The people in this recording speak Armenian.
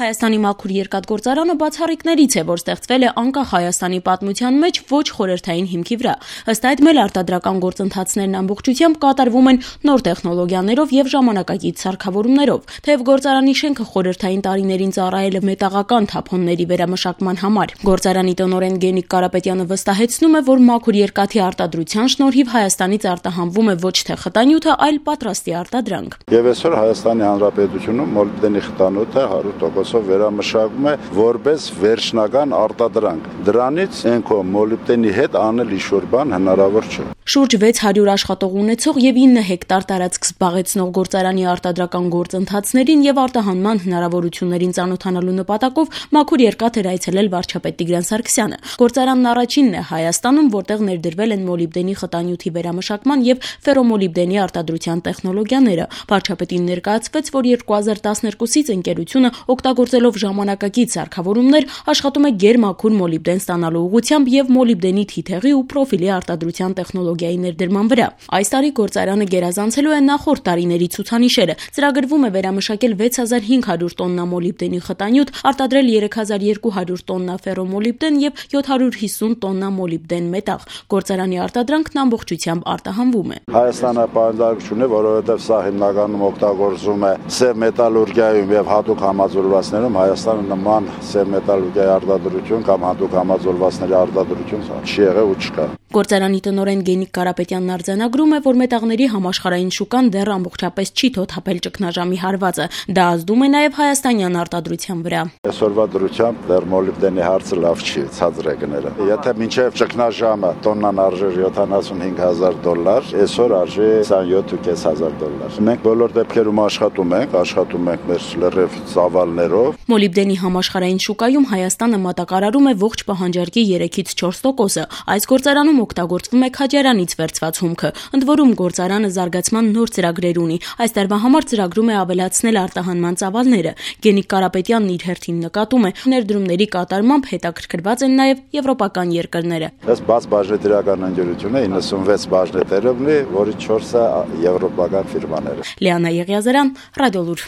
Հայաստանի մաքուր երկաթգործարանը բացառիկներից է, որ ստեղծվել է անկախ Հայաստանի պատմության մեջ ոչ խորհրդային հիմքի վրա։ Ըստ այդ էլ արտադրական գործընթացներն ամբողջությամբ կատարվում են նոր տեխնոլոգիաներով եւ ժամանակակից սարքավորումներով։ Թեև գործարանի շենքը խորհրդային տարիներին ծառայել է մետաղական թափոնների վերամշակման համար։ Գործարանի տնօրեն Գենիկ Կարապետյանը վստահեցնում է, որ մաքուր երկաթի արտադրության շնորհիվ Հայաստանից արտահանվում է ոչ թե խտանյութը, այլ պատրաստի արտադրանք։ Եվ այսօր Հայաստանի Հանրապետությունում մոլիբդենի խտանյութը 100% վերամշակվում է որպես վերջնական արտադրանք։ Դրանից ենքո մոլիբդենի հետ անել ինչ-որ բան հնարավոր չէ։ Շուրջ 600 աշխատող ունեցող եւ 9 հեկտար տարածք զբաղեցնող գործարանի արտադրական գործընթացներին եւ արտահանման հնարավորություններին ծանոթանալու նպատակով մաքուր երկաթ էր այցելել վարչապետ Տիգրան Սարգսյանը։ Գործարանն առաջինն է Հայաստանում, որտեղ ներդրվել են մոլիբդենի խտանյութի վերամշակման եւ ֆերոմոլիբդենի արտադրության տեխնոլոգիաները։ Վարչապետին ներկայացվեց, որ 2012-ից ընկերությունը օգտագործելով ժամանակակից սարքավորումներ աշխատում է գերմաքուր մոլիբդեն ստանալու ուղղությամբ եւ մոլիբդենի թիթեղի ու պրոֆիլի արտադրության տեխնոլոգիայի ներդրման վրա։ Այս տարի գործարանը գերազանցելու է նախորդ տարիների ցուցանիշերը։ Ծրագրվում է վերամշակել 6500 տոննա մոլիբդենի խտանյութ, արտադրել 3200 տոննա ֆերոմոլիբդեն եւ 750 տոննա մոլիբդեն մետաղ։ Գործարանի արտադրանքն ամբողջությամբ արտահանվում է։ Հայաստանը պայմանավորություն է, որովհետեւ սա հիմնականում օգտագործում է սև մետալուրգիայում եւ հատուկ համաձուլվածներում։ Հայաստանը նման սև մետալուրգիայի արտադրություն կամ հատուկ համաձուլվածների արտադրություն չի եղել ու չկա։ Գործարանի տնօրեն Գենիկ Կարապետյանն արձանագրում է, որ մետաղների համաշխարհային շուկան դեռ ամբողջապես չի թոթափել ճգնաժամի հարվածը։ Դա ազդում է նաև հայաստանյան արտադրության վրա։ Այսօրվա դրությամբ դեռ մոլիբդենի հարցը լավ չի, ցածր է գները։ Եթե մինչև ճգնաժամը տոննան արժեր $75,000, այսօր արժի $27,500։ Մենք բոլոր դեպքերում աշխատում ենք մեր լրիվ ծավալներով։ Մոլիբդենի համաշխարհային շուկայում Հայաստանը մատակարարում է ողջ պահանջարկի 3-ից 4%։ Այս գործարանում օգտագործվում է Քաջարյանից վերցված հումքը։ Ընդ որում գործարանը զարգացման նոր ծրագրեր ունի։ Այս տարվա համար ծրագրում է ավելացնել արտահանման ծավալները։ Գենիկ Կարապետյանն իր հերթին նկատում է, ներդրումների կատարմամբ հետաքրքրված են նաև եվրոպական երկրները։ Այս բաց բաժնետիրական ընկերություն է 96 բաժնետերով ունի, որից 4-ը եվրոպական ֆիրմաներ։ Լիանա Եղիազարյան, Ռադիոլուր։